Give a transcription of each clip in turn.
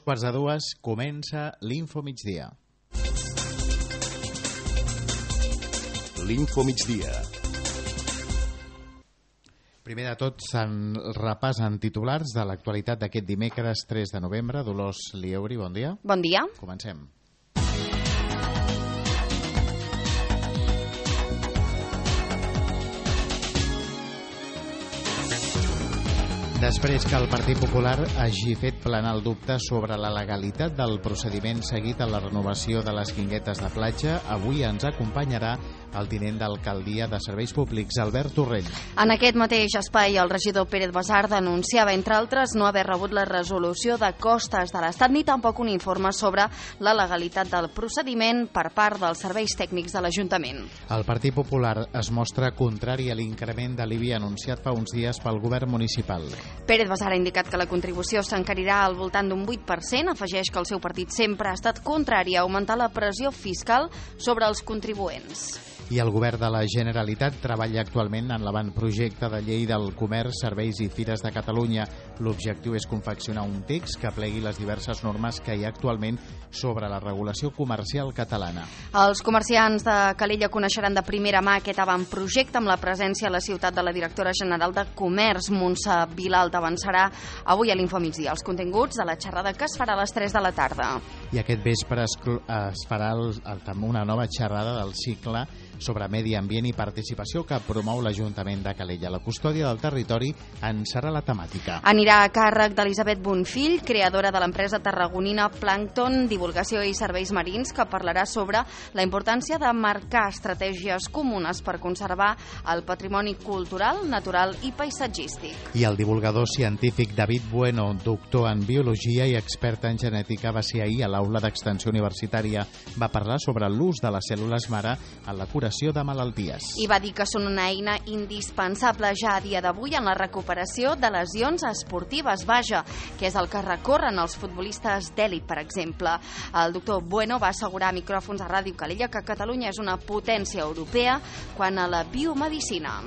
2:45 comença l'Info Migdia. L'Info Migdia. Primer de tot, se'n repassen titulars de l'actualitat d'aquest dimecres 3 de novembre. Dolors Lieuri, bon dia. Bon dia. Comencem. Després que el Partit Popular hagi fet planar el dubte sobre la legalitat del procediment seguit a la renovació de les guinguetes de platja, avui ens acompanyarà el tinent d'alcaldia de Serveis Públics, Albert Torrent. En aquest mateix espai, el regidor Pérez Basar denunciava, entre altres, no haver rebut la resolució de costes de l'Estat ni tampoc un informe sobre la legalitat del procediment per part dels serveis tècnics de l'Ajuntament. El Partit Popular es mostra contrari a l'increment de l'IBI anunciat fa uns dies pel govern municipal. Pérez Basar ha indicat que la contribució s'encarirà al voltant d'un 8%, afegeix que el seu partit sempre ha estat contrari a augmentar la pressió fiscal sobre els contribuents. I el govern de la Generalitat treballa actualment en l'avantprojecte de llei del comerç, serveis i fires de Catalunya. L'objectiu és confeccionar un text que plegui les diverses normes que hi ha actualment sobre la regulació comercial catalana. Els comerciants de Calella coneixeran de primera mà aquest avantprojecte amb la presència a la ciutat de la directora general de Comerç, Montse Vilalta. Avançarà avui a l'Info Migdia els continguts de la xerrada que es farà a les 3 de la tarda. I aquest vespre es farà una nova xerrada del cicle sobre medi ambient i participació que promou l'Ajuntament de Calella. La custòdia del territori en serà la temàtica. Anirà a càrrec d'Elisabet Bonfill, creadora de l'empresa tarragonina Plàncton, Divulgació i Serveis Marins, que parlarà sobre la importància de marcar estratègies comunes per conservar el patrimoni cultural, natural i paisatgístic. I el divulgador científic David Bueno, doctor en biologia i expert en genètica, va ser ahir a l'aula d'extensió universitària. Va parlar sobre l'ús de les cèl·lules mare en la curació de malalties. I va dir que són una eina indispensable ja a dia d'avui en la recuperació de lesions esportives, que és el que recorren els futbolistes d'èlit, per exemple. El doctor Bueno va assegurar a micròfons a Ràdio Calella que Catalunya és una potència europea quant a la biomedicina.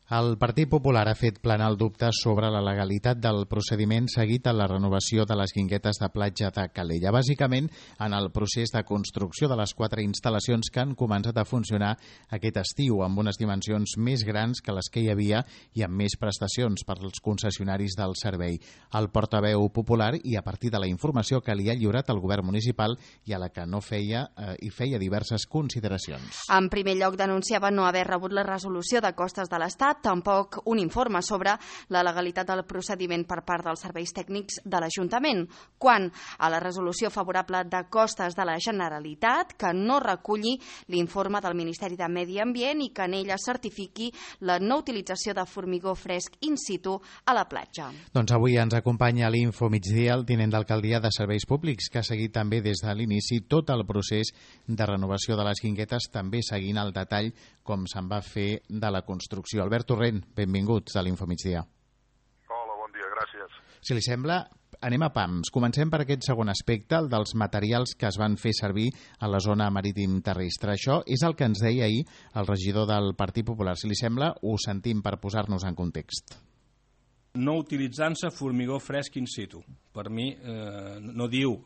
El Partit Popular ha fet planar el dubte sobre la legalitat del procediment seguit a la renovació de les guinguetes de platja de Calella. Bàsicament, en el procés de construcció de les 4 instal·lacions que han començat a funcionar aquest estiu, amb unes dimensions més grans que les que hi havia i amb més prestacions per als concessionaris del servei. El portaveu popular, i a partir de la informació que li ha lliurat el govern municipal i a la que no feia diverses consideracions. En primer lloc, denunciava no haver rebut la resolució de costes de l'Estat, tampoc un informe sobre la legalitat del procediment per part dels serveis tècnics de l'Ajuntament. Quant a la resolució favorable de costes de la Generalitat, que no reculli l'informe del Ministeri de Medi Ambient i que en ella certifiqui la no utilització de formigó fresc in situ a la platja. Doncs avui ens acompanya a l'Info Migdia el tinent d'alcaldia de Serveis Públics, que ha seguit també des de l'inici tot el procés de renovació de les guinguetes, també seguint el detall com se'n va fer de la construcció. Albert Torrent, benvinguts a l'Info Migdia. Hola, bon dia, gràcies. Si li sembla, anem a pams. Comencem per aquest segon aspecte, el dels materials que es van fer servir a la zona marítim terrestre. Això és el que ens deia ahir el regidor del Partit Popular. Si li sembla, ho sentim per posar-nos en context. No utilitzant-se formigó fresc in situ. Per mi no diu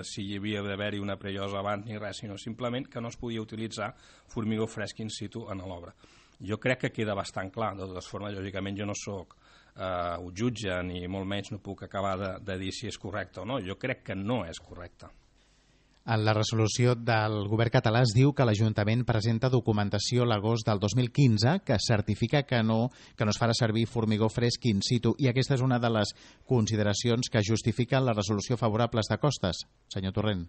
si hi havia d'haver-hi una preiosa abans ni res, sinó simplement que no es podia utilitzar formigó fresc in situ en l'obra. Jo crec que queda bastant clar. De totes formes, lògicament, jo no sóc un jutge ni molt menys no puc acabar de dir si és correcte o no. Jo crec que no és correcte. En la resolució del govern català es diu que l'Ajuntament presenta documentació l'agost del 2015 que certifica que no es farà servir formigó fresc in situ, i aquesta és una de les consideracions que justifiquen la resolució favorables de costes. Senyor Torrent.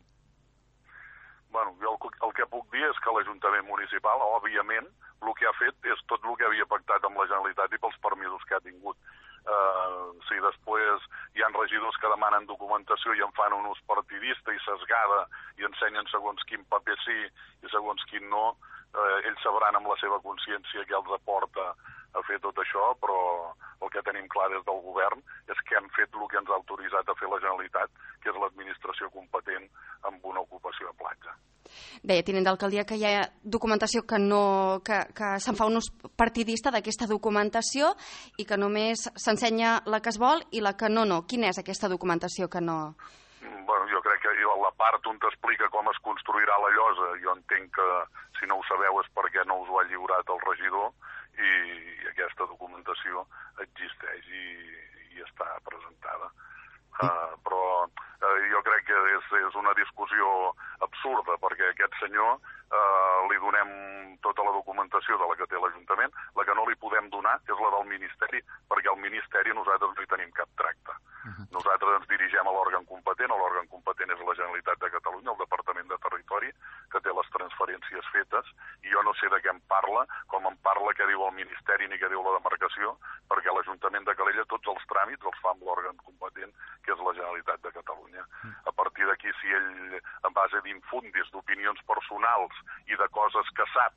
Bueno, jo el que puc dir és que l'Ajuntament Municipal, òbviament, el que ha fet és tot el que havia pactat amb la Generalitat i pels permisos que ha tingut. Si després hi ha regidors que demanen documentació i en fan un ús partidista i sesgada i ensenyen segons quin paper sí i segons quin no, ells sabran amb la seva consciència què els aporta a fer tot això, però el que tenim clar des del govern és que hem fet el que ens ha autoritzat a fer la Generalitat, que és l'administració competent amb una ocupació de platja. Deia, tinent d'alcaldia, que hi ha documentació que se'n fa un ús partidista d'aquesta documentació i que només s'ensenya la que es vol i la que no. Quina és aquesta documentació que no? Bueno, jo crec que la part on t'explica com es construirà la llosa, jo entenc que si no ho sabeu és perquè no us ho ha lliurat el regidor i aquesta documentació existeix i està presentada. Però jo crec que és una discussió absurda, perquè a aquest senyor li donem tota la documentació de la que té l'Ajuntament, la que no li podem donar és la del Ministeri, perquè al Ministeri nosaltres no hi tenim cap tracte. Nosaltres ens dirigem a l'òrgan competent, l'òrgan competent és la Generalitat de Catalunya, el Departament de Territori, que té les transferències fetes, i jo no sé de què em parla, com em parla què diu el Ministeri ni què diu la demarcació, perquè l'Ajuntament de Calella tots els tràmits els fa amb l'òrgan competent, que és la Generalitat de Catalunya. A partir d'aquí, si ell, en base d'infundis, d'opinions personals i de coses que sap,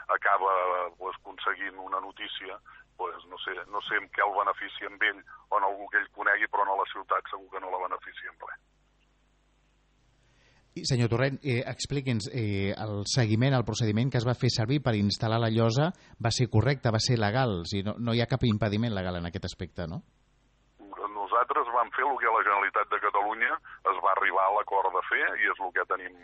acaba aconseguint una notícia, no sé en què el beneficia amb ell o en algú que ell conegui, però no a la ciutat segur que no la beneficia en res. I, senyor Torrent, expliqui'ns, el seguiment, el procediment que es va fer servir per instal·lar la llosa va ser correcte, va ser legal, o sigui, no hi ha cap impediment legal en aquest aspecte, no? Nosaltres vam fer el que a la Generalitat de Catalunya es va arribar a l'acord de fer i és el que tenim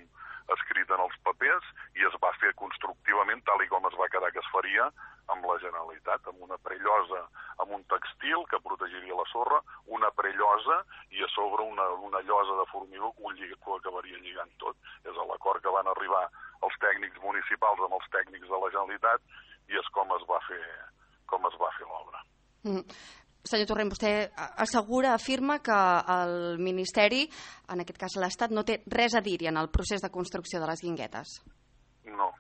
escrit en els papers i es va fer constructivament tal i com es va quedar que es faria amb la Generalitat, amb una prellosa, amb un textil que protegiria la sorra, una prellosa i a sobre una llosa de formigó que ho acabaria lligant tot. És l'acord que van arribar els tècnics municipals amb els tècnics de la Generalitat i és com es va fer l'obra. Senyor Torrent, vostè assegura, afirma que el Ministeri, en aquest cas l'Estat, no té res a dir-hi en el procés de construcció de les guinguetes. No,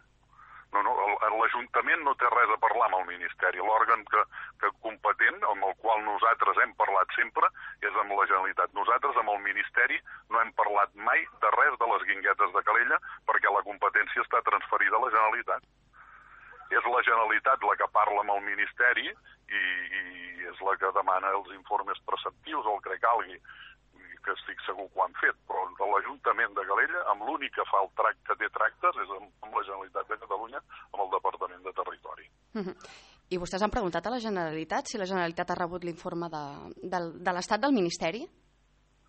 l'Ajuntament no té res a parlar amb el Ministeri. L'òrgan que competent, amb el qual nosaltres hem parlat sempre, és amb la Generalitat. Nosaltres amb el Ministeri no hem parlat mai de res de les guinguetes de Calella perquè la competència està transferida a la Generalitat. És la Generalitat la que parla amb el Ministeri i és la que demana els informes preceptius o el que calgui, que estic segur que ho han fet, però l'Ajuntament de Calella, amb l'únic que fa que té tractes és amb la Generalitat de Catalunya, amb el Departament de Territori. I vostès han preguntat a la Generalitat si la Generalitat ha rebut l'informe de l'Estat del Ministeri?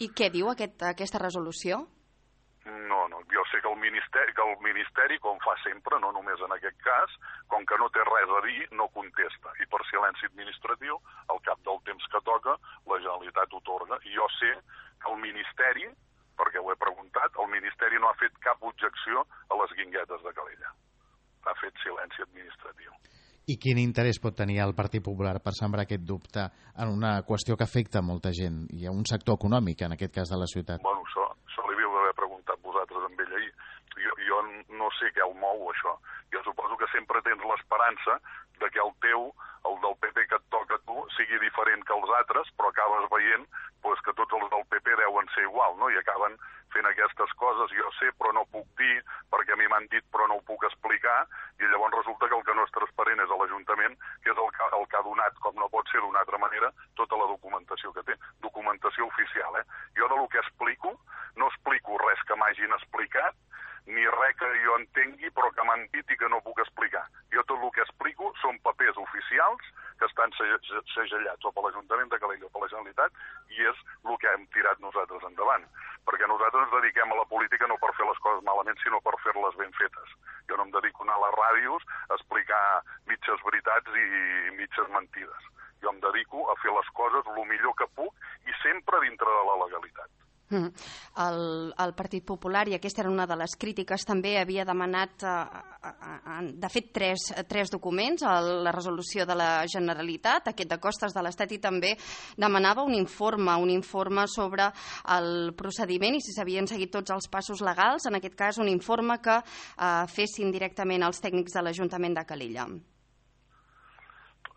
I què diu aquesta resolució? No, jo sé que el Ministeri, com fa sempre, no només en aquest cas, com que no té res a dir, no contesta. I per silenci administratiu, al cap del temps que toca, la Generalitat otorga. I jo sé que el Ministeri, perquè ho he preguntat, el Ministeri no ha fet cap objecció a les guinguetes de Calella. Ha fet silenci administratiu. I quin interès pot tenir el Partit Popular per sembrar aquest dubte en una qüestió que afecta molta gent i a un sector econòmic, en aquest cas de la ciutat? Bueno, això li havíeu d'haver preguntat vosaltres amb ell ahir. Jo no sé què el mou, això. Jo suposo que sempre tens l'esperança de que el del PP que et toca a tu, sigui diferent que els altres, però acabes veient que tots els del PP deuen ser igual, no? I acaben fent aquestes coses, jo sé, però no puc dir, perquè a mi m'han dit, però no ho puc explicar, i llavors resulta que el que no és transparent és a l'Ajuntament, que és el que ha donat, com no pot ser d'una altra manera, tota la documentació que té. Documentació oficial, Jo del que explico, no explico res que m'hagin explicat, ni res que jo entengui, però que m'han dit i que no puc explicar. Jo tot el que explico són papers oficials que estan segellats o per l'Ajuntament de Calella o per la Generalitat i és el que hem tirat nosaltres endavant. Perquè nosaltres ens dediquem a la política no per fer les coses malament, sinó per fer-les ben fetes. Jo no em dedico a anar a les ràdios a explicar mitges veritats i mitges mentides. Jo em dedico a fer les coses el millor que puc i sempre dintre de la legalitat. El Partit Popular, i aquesta era una de les crítiques, també havia demanat, de fet, tres documents, la resolució de la Generalitat, aquest de costes de l'Estat, i també demanava un informe sobre el procediment i si s'havien seguit tots els passos legals, en aquest cas un informe que fessin directament els tècnics de l'Ajuntament de Calella.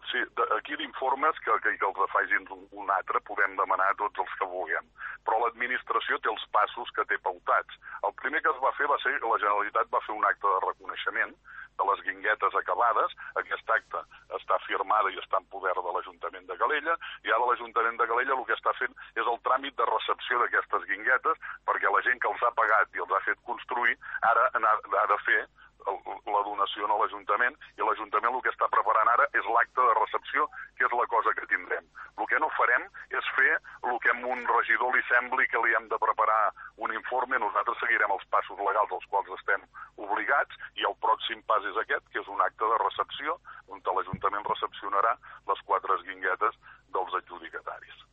Sí, aquí d'informes que els facin un altre podem demanar tots els que vulguem, però l'administració té els passos que té pautats. El primer que es va fer va ser que la Generalitat va fer un acte de reconeixement de les guinguetes acabades. Aquest acte està firmada i està en poder de l'Ajuntament de Calella, i ara l'Ajuntament de Calella el que està fent és el tràmit de recepció d'aquestes guinguetes, perquè la gent que els ha pagat i els ha fet construir ara ha de fer la donació a l'Ajuntament, i l'Ajuntament el que està preparant ara és l'acte de recepció, que és la cosa que tindrem. El que no farem és fer el que a un regidor li sembli que li hem de preparar un informe. Nosaltres seguirem els passos legals als quals estem obligats, i el pròxim pas és aquest, que és un acte de recepció on l'Ajuntament recepcionarà les 4 guinguetes dels adjudicataris.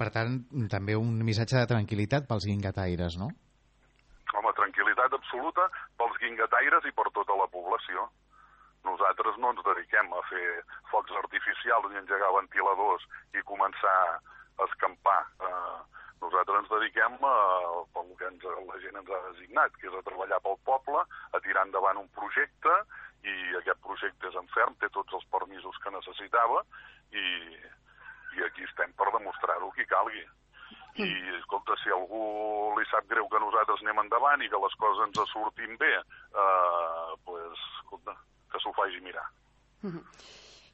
Per tant, també un missatge de tranquil·litat pels guinguetaires, no? Home, tranquil·litat absoluta pels guinguetaires i per tota la població. Nosaltres no ens dediquem a fer focs artificials ni engegar ventiladors i començar a escampar. Nosaltres ens dediquem pel que la gent ens ha designat, que és a treballar pel poble, a tirar endavant un projecte, i aquest projecte és en ferm, té tots els permisos que necessitava, i aquí estem per demostrar-ho qui calgui. I, escolta, si a algú li sap greu que nosaltres anem endavant i que les coses ens surtin bé, escolta, que s'ho faci mirar.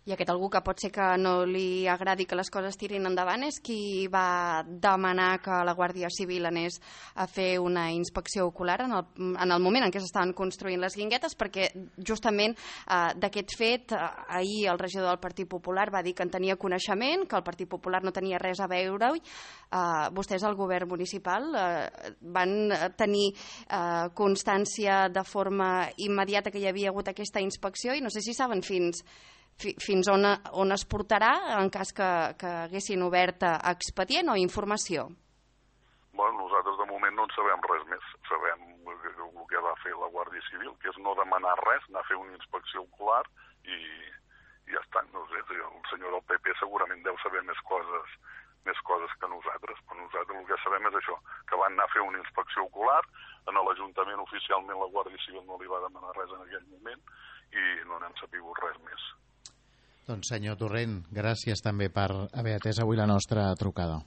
I aquest algú que pot ser que no li agradi que les coses tirin endavant és qui va demanar que la Guàrdia Civil anés a fer una inspecció ocular en el moment en què s'estaven construint les guinguetes, perquè justament d'aquest fet ahir el regidor del Partit Popular va dir que en tenia coneixement, que el Partit Popular no tenia res a veure-hi. Vostès, el govern municipal, van tenir constància de forma immediata que hi havia hagut aquesta inspecció, i no sé si saben fins on es portarà en cas que haguessin obert expedient o informació. Bueno, nosaltres de moment no en sabem res més. Sabem el que va fer la Guàrdia Civil, que és no demanar res, anar a fer una inspecció ocular i ja està. No sé, el senyor del PP segurament deu saber més coses que nosaltres, però nosaltres el que sabem és això, que van anar a fer una inspecció ocular. En l'Ajuntament oficialment la Guàrdia Civil no li va demanar res en aquell moment i no n'hem sabut res més. Doncs senyor Torrent, gràcies també per haver atès avui la nostra trucada.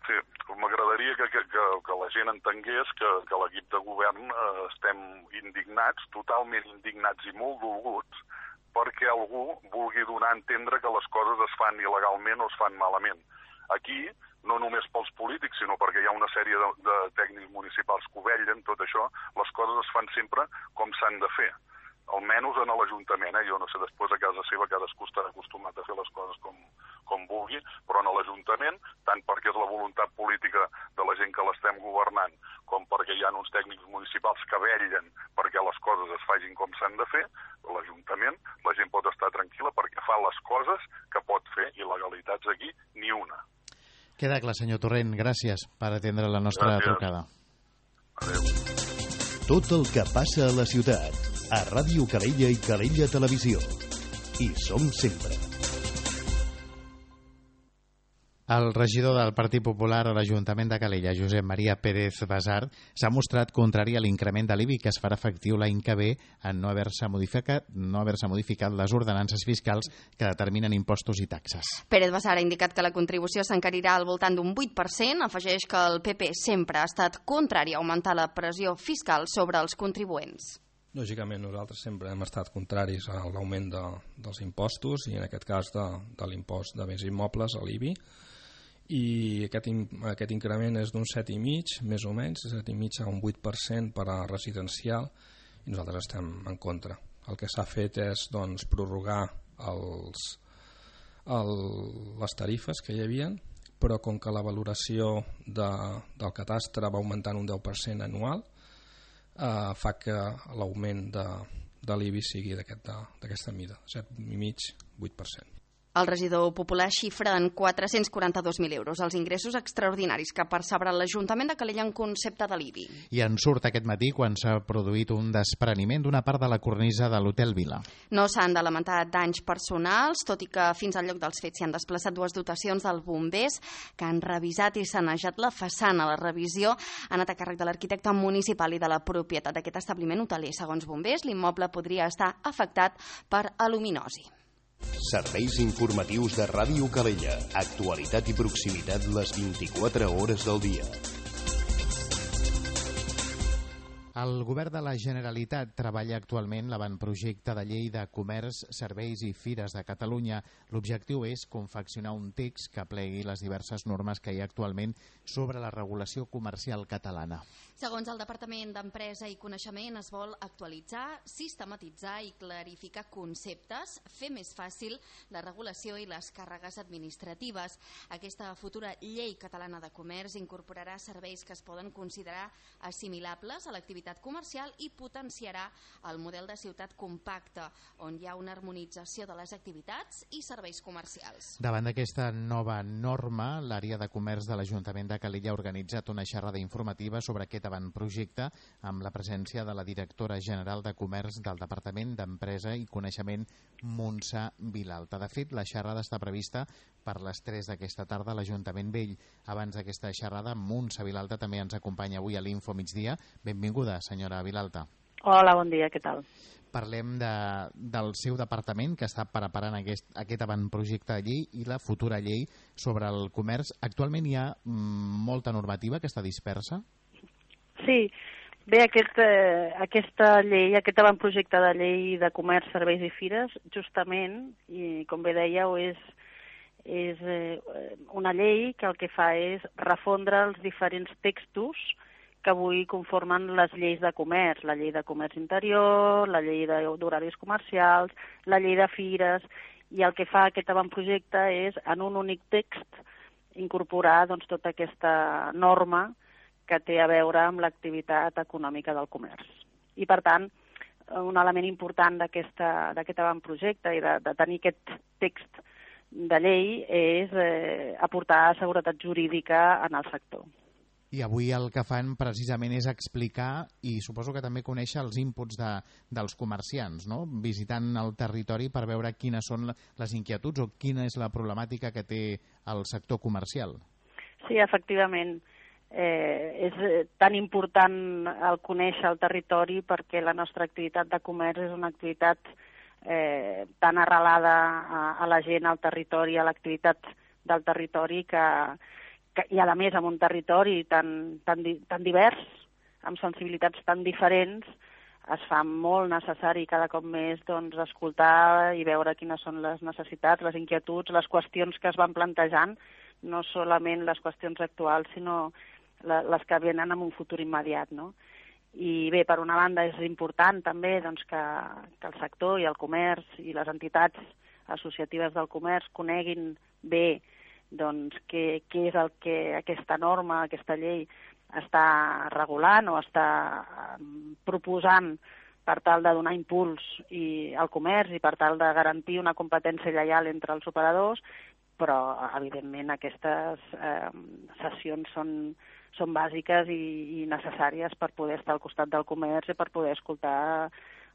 Sí, m'agradaria que la gent entengués que l'equip de govern estem indignats, totalment indignats i molt dolguts, perquè algú vulgui donar a entendre que les coses es fan il·legalment o es fan malament. Aquí, no només pels polítics, sinó perquè hi ha una sèrie de tècnics municipals que ho vetllen, tot això, les coses es fan sempre com s'han de fer. Almenys en l'Ajuntament, jo no sé, després a casa seva cadascú estarà acostumat a fer les coses com vulgui, però en l'Ajuntament, tant perquè és la voluntat política de la gent que l'estem governant, com perquè hi ha uns tècnics municipals que vetllen perquè les coses es facin com s'han de fer, l'Ajuntament, la gent pot estar tranquil·la perquè fa les coses que pot fer, i legalitats aquí ni una. Queda clar, senyor Torrent, gràcies per atendre la nostra trucada. Adéu. Tot el que passa a la ciutat, a Ràdio Calella i Calella Televisió. Hi som sempre. El regidor del Partit Popular a l'Ajuntament de Calella, Josep Maria Pérez Basart, s'ha mostrat contrari a l'increment de l'IBI que es farà efectiu l'any que ve en no haver-se modificat les ordenances fiscals que determinen impostos i taxes. Pérez Basart ha indicat que la contribució s'encarirà al voltant d'un 8%, afegeix que el PP sempre ha estat contrari a augmentar la pressió fiscal sobre els contribuents. Lògicament, nosaltres sempre hem estat contraris a l'augment dels impostos, i en aquest cas de l'impost de béns immobles, a l'IBI, i aquest increment és d'un 7,5, més o menys, 7,5 a un 8% per a residencial, i nosaltres estem en contra. El que s'ha fet és prorrogar les tarifes que hi havia, però com que la valoració del catastre va augmentant un 10% anual, fa que l'augment de l'IBI sigui d'aquesta mida, 7,5, 8%. El regidor popular xifra en 442.000 euros els ingressos extraordinaris que percebrà l'Ajuntament de Calella en concepte de l'IBI. I en surt aquest matí quan s'ha produït un despreniment d'una part de la cornisa de l'Hotel Vila. No s'han de lamentar danys personals, tot i que fins al lloc dels fets s'hi han desplaçat 2 dotacions dels bombers que han revisat i sanejat la façana. La revisió ha anat a càrrec de l'arquitecte municipal i de la propietat d'aquest establiment hoteler. Segons bombers, l'immoble podria estar afectat per aluminosi. Serveis informatius de Ràdio Calella. Actualitat i proximitat les 24 hores del dia. El Govern de la Generalitat treballa actualment l'avantprojecte de llei de comerç, serveis i fires de Catalunya. L'objectiu és confeccionar un text que plegui les diverses normes que hi ha actualment sobre la regulació comercial catalana. Segons el Departament d'Empresa i Coneixement, es vol actualitzar, sistematitzar i clarificar conceptes, fer més fàcil la regulació i les càrregues administratives. Aquesta futura llei catalana de comerç incorporarà serveis que es poden considerar assimilables a l'activitat comercial i potenciarà el model de ciutat compacta, on hi ha una harmonització de les activitats i serveis comercials. Davant d'aquesta nova norma, l'àrea de comerç de l'Ajuntament de Calella ha organitzat una xerrada informativa sobre aquest avantprojecte amb la presència de la directora general de Comerç del Departament d'Empresa i Coneixement, Montse Vilalta. De fet, la xerrada està prevista per les 3 d'aquesta tarda a l'Ajuntament Vell. Abans d'aquesta xerrada, Montse Vilalta també ens acompanya avui a l'Info Migdia. Benvinguda, senyora Vilalta. Hola, bon dia, què tal? Parlem del seu departament que està preparant aquest avantprojecte de llei i la futura llei sobre el comerç. Actualment hi ha molta normativa que està dispersa? Sí, bé, aquesta llei, aquest avantprojecte de llei de comerç, serveis i fires, justament, i com bé dèieu, és una llei que el que fa és refondre els diferents textos que avui conformen les lleis de comerç, la llei de comerç interior, la llei d'horaris comercials, la llei de fires, i el que fa aquest avantprojecte és, en un únic text, incorporar doncs, tota aquesta norma que té a veure amb l'activitat econòmica del comerç. I, per tant, un element important d'aquest avantprojecte i de tenir aquest text de llei és aportar seguretat jurídica en el sector. I avui el que fan precisament és explicar i suposo que també conèixer els inputs dels comerciants, no? Visitant el territori per veure quines són les inquietuds o quina és la problemàtica que té el sector comercial. Sí, efectivament. És tan important el conèixer el territori perquè la nostra activitat de comerç és una activitat tan arrelada a la gent, al territori, a l'activitat del territori i a més amb un territori tan divers, amb sensibilitats tan diferents, es fa molt necessari cada cop més doncs, escoltar i veure quines són les necessitats, les inquietuds, les qüestions que es van plantejant, no solament les qüestions actuals, sinó les que venen en un futur immediat, no? I bé, per una banda és important també doncs, que el sector i el comerç i les entitats associatives del comerç coneguin bé doncs, què és el que aquesta norma, aquesta llei està regulant o està proposant per tal de donar impuls al comerç i per tal de garantir una competència lleial entre els operadors, però evidentment aquestes sessions són bàsiques i necessàries per poder estar al costat del comerç i per poder escoltar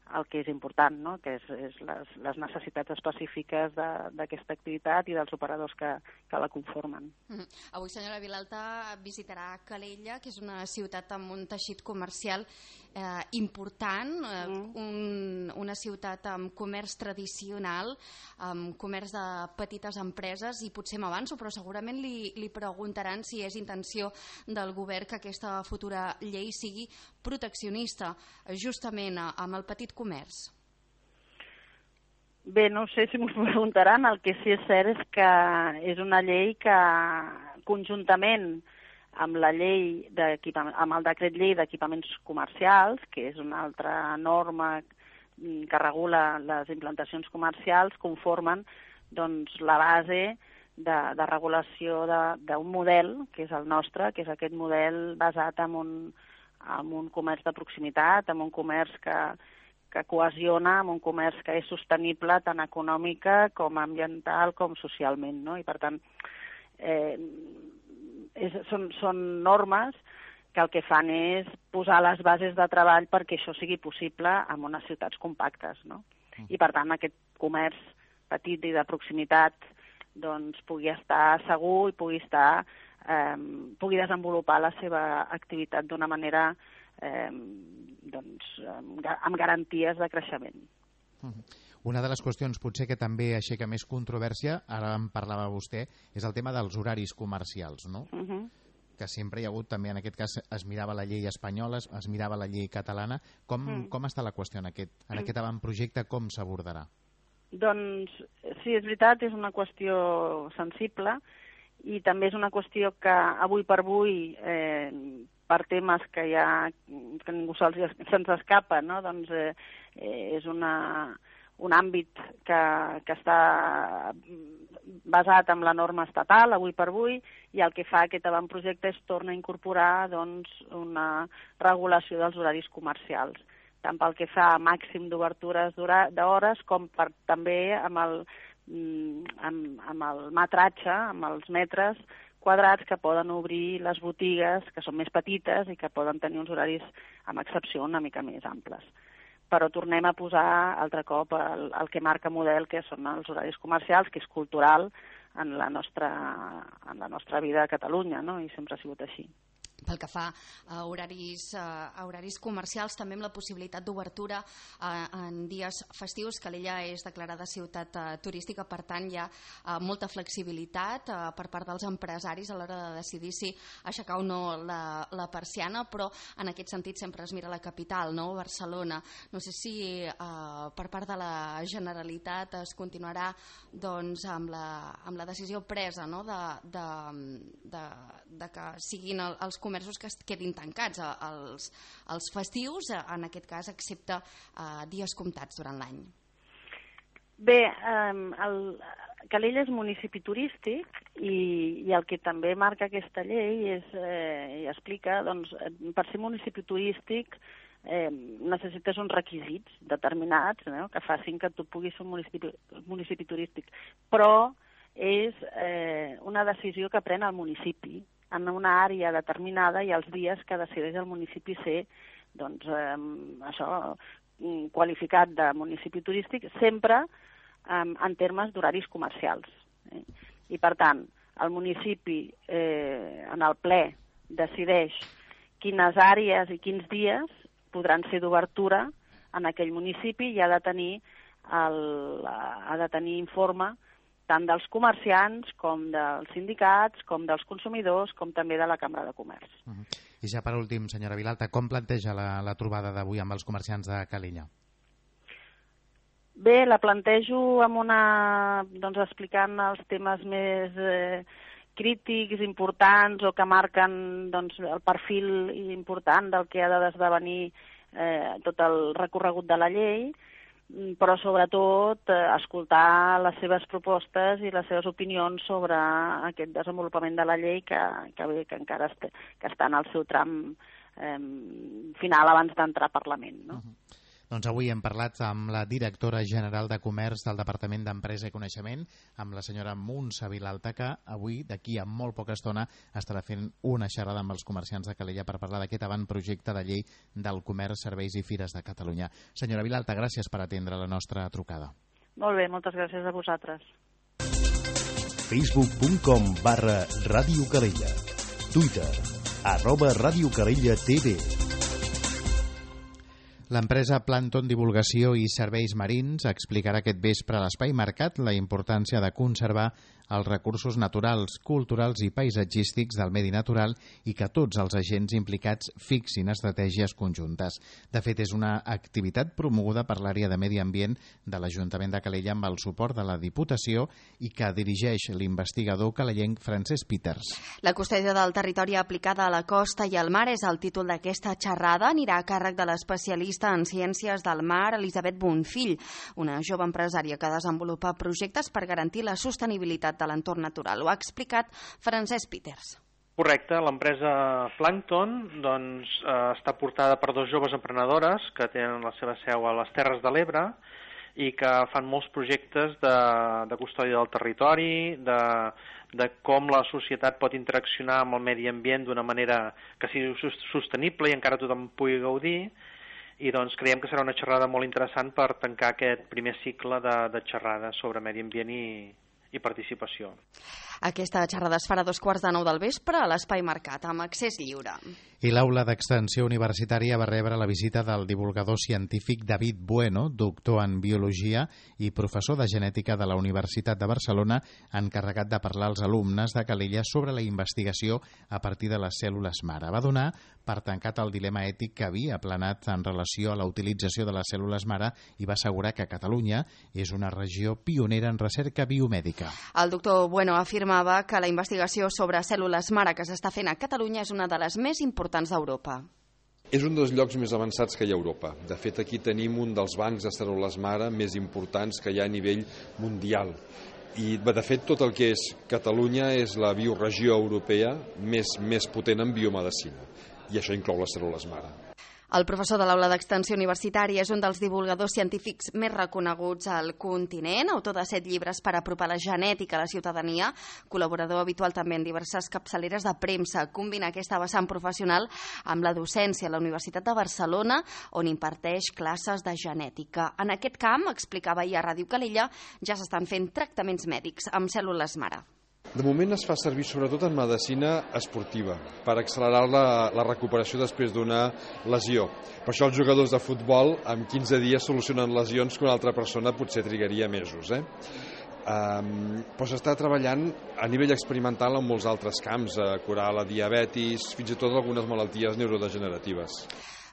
el que és important, no? Que és les necessitats específiques d'aquesta activitat i dels operadors que la conformen. Avui, senyora Vilalta, visitarà Calella, que és una ciutat amb un teixit comercial important, una ciutat amb comerç tradicional, amb comerç de petites empreses, i potser m'avanço, però segurament li preguntaran si és intenció del govern que aquesta futura llei sigui proteccionista justament amb el petit comerç. Bé, no sé si m'ho preguntaran. El que sí és cert és que és una llei que conjuntament amb la llei amb el decret llei d'equipaments comercials, que és una altra norma que regula les implantacions comercials, conformen doncs, la base de regulació d'un model, que és el nostre, que és aquest model basat en un comerç de proximitat, en un comerç que cohesiona, en un comerç que és sostenible tant econòmica com ambiental com socialment, no? I per tant són normes que el que fan és posar les bases de treball perquè això sigui possible en unes ciutats compactes, no? I per tant aquest comerç petit i de proximitat doncs pugui estar segur i pugui desenvolupar la seva activitat d'una manera amb garanties de creixement. Una de les qüestions potser que també aixeca més controvèrsia, ara en parlava vostè, és el tema dels horaris comercials, no? que sempre hi ha hagut, també en aquest cas es mirava la llei espanyola, es mirava la llei catalana. Com està la qüestió en aquest avantprojecte? Com s'abordarà? Doncs sí, és veritat, és una qüestió sensible i també és una qüestió que avui per avui, per temes que ningú se'ns escapa, no? Doncs és un àmbit que està basat en la norma estatal, avui per avui, i el que fa aquest avantprojecte és tornar a incorporar doncs, una regulació dels horaris comercials, tant pel que fa a màxim d'obertures d'hores com també amb el metratge, amb els metres quadrats que poden obrir les botigues, que són més petites i que poden tenir uns horaris, amb excepció, una mica més amples. Però tornem a posar altre cop el que marca model, que són els horaris comercials, que és cultural en la nostra vida a Catalunya, no? I sempre ha sigut així. Pel que fa a horaris comercials, també amb la possibilitat d'obertura en dies festius. Calella és declarada ciutat turística, per tant hi ha molta flexibilitat per part dels empresaris a l'hora de decidir si aixecar o no la persiana, però en aquest sentit sempre es mira la capital, no? Barcelona. No sé si per part de la Generalitat es continuarà doncs, amb la decisió presa, no? de que siguin els comerços que es quedin tancats els festius, en aquest cas, excepte dies comptats durant l'any. Bé, Calella és municipi turístic i el que també marca aquesta llei i explica, doncs, per ser municipi turístic necessites uns requisits determinats, no? Que facin que tu puguis ser un municipi turístic, però és una decisió que pren el municipi en una àrea determinada i els dies que decideix el municipi ser qualificat de municipi turístic, sempre en termes d'horaris comercials. I per tant, el municipi en el ple decideix quines àrees i quins dies podran ser d'obertura en aquell municipi i ha de tenir informe tant dels comerciants, com dels sindicats, com dels consumidors, com també de la Cambra de Comerç. I ja per últim, senyora Vilalta, com planteja la trobada d'avui amb els comerciants de Calella? Bé, la plantejo explicant els temes més crítics, importants, o que marquen el perfil important del que ha d'esdevenir tot el recorregut de la llei, però sobretot escoltar les seves propostes i les seves opinions sobre aquest desenvolupament de la llei que encara està en el seu tram final abans d'entrar al Parlament, no? Doncs avui hem parlat amb la directora general de Comerç del Departament d'Empresa i Coneixement, amb la senyora Muntsa Vilalta, que avui, d'aquí a molt poca estona, estarà fent una xerrada amb els comerciants de Calella per parlar d'aquest avantprojecte de llei del comerç, serveis i fires de Catalunya. Senyora Vilalta, gràcies per atendre la nostra trucada. Molt bé, moltes gràcies a vosaltres. Facebook.com/Ràdio Calella. Twitter, @Ràdio Calella TV. L'empresa Planton Divulgació i Serveis Marins explicarà aquest vespre a l'Espai Mercat la importància de conservar els recursos naturals, culturals i paisatgístics del medi natural i que tots els agents implicats fixin estratègies conjuntes. De fet, és una activitat promoguda per l'àrea de Medi Ambient de l'Ajuntament de Calella amb el suport de la Diputació i que dirigeix l'investigador calellenc Francesc Peters. La custòdia del territori aplicada a la costa i al mar és el títol d'aquesta xerrada. Anirà a càrrec de l'especialista en ciències del mar, Elisabet Bonfill, una jove empresària que desenvolupa projectes per garantir la sostenibilitat de l'entorn natural. Ho ha explicat Francesc Peters. Correcte, l'empresa Plankton està portada per dos joves emprenedores que tenen la seva seu a les Terres de l'Ebre i que fan molts projectes de custòdia del territori, de com la societat pot interaccionar amb el medi ambient d'una manera que sigui sostenible i encara tothom pugui gaudir. I creiem que serà una xerrada molt interessant per tancar aquest primer cicle de xerrades sobre medi ambient i participació. Aquesta xerrada es farà a 8:15 del vespre a l'Espai Mercat, amb accés lliure. I l'Aula d'Extensió Universitària va rebre la visita del divulgador científic David Bueno, doctor en Biologia i professor de Genètica de la Universitat de Barcelona, encarregat de parlar als alumnes de Calella sobre la investigació a partir de les cèl·lules mare. Va donar per tancat el dilema ètic que havia aplanat en relació a la utilització de les cèl·lules mare i va assegurar que Catalunya és una regió pionera en recerca biomèdica. El doctor Bueno afirmava que la investigació sobre cèl·lules mare que s'està fent a Catalunya és una de les més importants d'Europa. És un dels llocs més avançats que hi ha a Europa. De fet, aquí tenim un dels bancs de cèl·lules mare més importants que hi ha a nivell mundial. I, de fet, tot el que és Catalunya és la bioregió europea més potent en biomedicina. I això inclou les cèl·lules mare. El professor de l'Aula d'Extensió Universitària és un dels divulgadors científics més reconeguts al continent, autor de 7 llibres per apropar la genètica a la ciutadania, col·laborador habitual també en diverses capçaleres de premsa. Combina aquesta vessant professional amb la docència a la Universitat de Barcelona, on imparteix classes de genètica. En aquest camp, explicava ahir a Ràdio Calella, ja s'estan fent tractaments mèdics amb cèl·lules mare. De moment es fa servir sobretot en medicina esportiva, per accelerar la recuperació després d'una lesió. Per això els jugadors de futbol en 15 dies solucionen lesions que una altra persona potser trigaria mesos. Però s'està treballant a nivell experimental en molts altres camps, a curar la diabetis, fins i tot algunes malalties neurodegeneratives.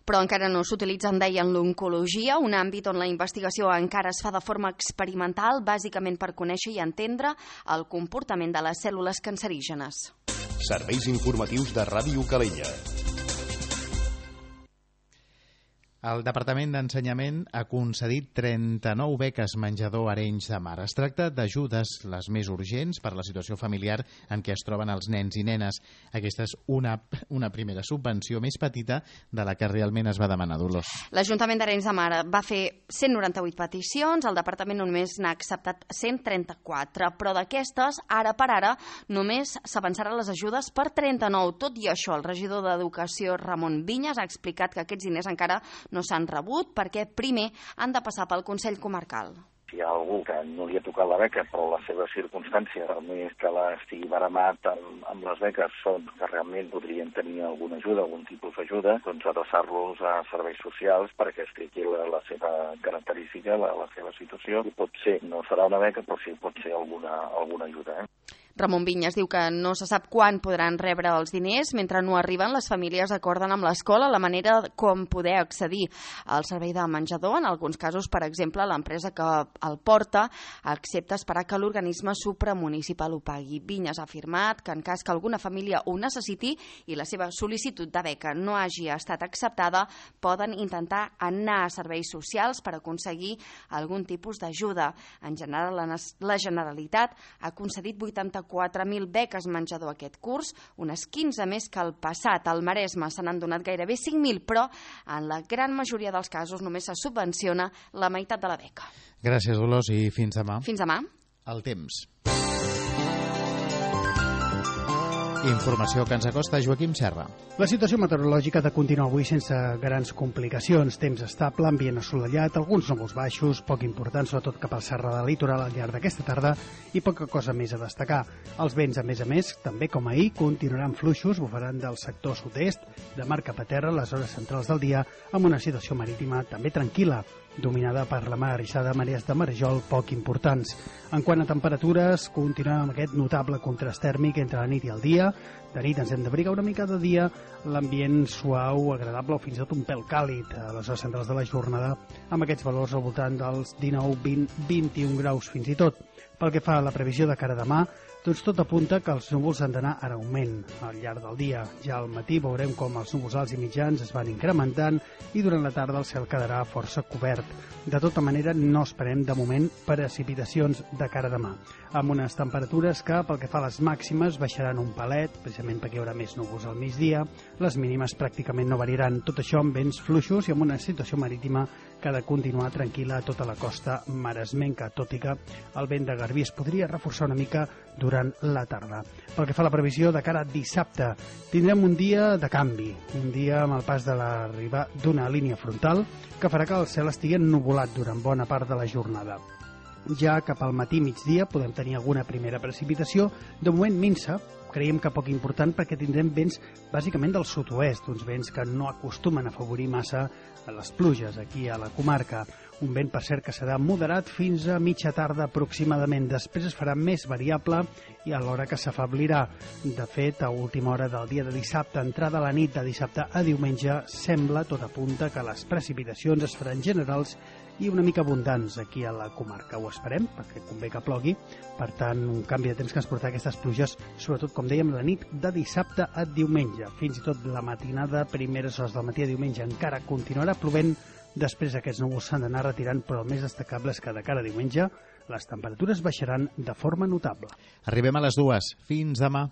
Però encara no s'utilitza, en deien, l'oncologia, un àmbit on la investigació encara es fa de forma experimental, bàsicament per conèixer i entendre el comportament de les cèl·lules cancerígenes. Serveis informatius de Ràdio Calella. El Departament d'Ensenyament ha concedit 39 beques menjador a Arenys de Mar. Es tracta d'ajudes les més urgents per la situació familiar en què es troben els nens i nenes. Aquesta és una primera subvenció més petita de la que realment es va demanar, Dolors. L'Ajuntament d'Arenys de Mar va fer 198 peticions, el Departament només n'ha acceptat 134, però d'aquestes, ara per ara, només s'avançaran les ajudes per 39. Tot i això, el regidor d'Educació, Ramon Vinyes, ha explicat que aquests diners encara no s'han rebut perquè primer han de passar pel Consell Comarcal. Si hi ha algú que no li ha tocat la beca, però la seva circumstància, a més que l'estigui baramat amb les beques, són que realment podrien tenir alguna ajuda, algun tipus d'ajuda, doncs adreçar-los a serveis socials perquè expliqui la seva característica, la seva situació. I potser no serà una beca, però sí pot ser alguna ajuda. Ramon Vinyes diu que no se sap quan podran rebre els diners. Mentre no arriben, les famílies acorden amb l'escola la manera com poder accedir al servei de menjador. En alguns casos, per exemple, l'empresa que el porta accepta esperar que l'organisme supramunicipal ho pagui. Vinyes ha afirmat que en cas que alguna família ho necessiti i la seva sol·licitud de beca no hagi estat acceptada, poden intentar anar a serveis socials per aconseguir algun tipus d'ajuda. En general, la Generalitat ha concedit 84.000 beques menjador aquest curs, unes 15 més que el passat. Al Maresme se n'han donat gairebé 5.000, però en la gran majoria dels casos només se subvenciona la meitat de la beca. Gràcies, Dolors, i fins demà. Fins demà. El temps. Informació que ens acosta Joaquim Serra. La situació meteorològica ha de continuar avui sense grans complicacions. Temps estable, ambient assolellat, alguns núvols baixos, poc importants, sobretot cap al Serra del Litoral al llarg d'aquesta tarda, i poca cosa més a destacar. Els vents, a més, també com ahir, continuaran fluixos, bufaran del sector sud-est, de mar cap a terra a les hores centrals del dia, amb una situació marítima també tranquil·la, dominada per la mar arrissada, marees de marejol poc importants. En quant a temperatures, continuem amb aquest notable contrast tèrmic entre la nit i el dia. De nit ens hem d'abrigar una mica, de dia l'ambient suau, agradable o fins i tot un pèl càlid a les hores centrals de la jornada, amb aquests valors al voltant dels 19, 20, 21 graus fins i tot. Pel que fa a la previsió de cara a demà, doncs tot apunta que els núvols han d'anar en augment al llarg del dia. Ja al matí veurem com els núvols alts i mitjans es van incrementant i durant la tarda el cel quedarà força cobert. De tota manera, no esperem de moment precipitacions de cara a demà, amb unes temperatures que, pel que fa a les màximes, baixaran un palet, precisament perquè hi haurà més núvols al migdia. Les mínimes pràcticament no variaran, tot això amb vents fluixos i amb una situació marítima que ha de continuar tranquil·la a tota la costa maresmenca, tot i que el vent de garbí es podria reforçar una mica durant la tarda. Pel que fa a la previsió de cara a dissabte, tindrem un dia de canvi, un dia amb el pas de l'arribada d'una línia frontal que farà que el cel estigui ennuvolat durant bona part de la jornada. ja cap al matí migdia podem tenir alguna primera precipitació, de moment minsa, creiem que poc important perquè tindrem vents bàsicament del sud-oest, uns vents que no acostumen a afavorir massa les pluges aquí a la comarca. Un vent, per cert, que serà moderat fins a mitja tarda aproximadament. Després es farà més variable i alhora que s'afablirà. De fet, a última hora del dia de dissabte, entrada a la nit de dissabte a diumenge, sembla, tot apunta, que les precipitacions es faran generals i una mica abundants aquí a la comarca. Ho esperem, perquè convé que plogui. Per tant, un canvi de temps que ens portarà aquestes pluges, sobretot, com dèiem, la nit de dissabte a diumenge. Fins i tot la matinada, primeres hores del matí a diumenge, encara continuarà plovent. Després aquests núvols s'han d'anar retirant, però el més destacable és que de cara a diumenge les temperatures baixaran de forma notable. Arribem a les 2. Fins demà.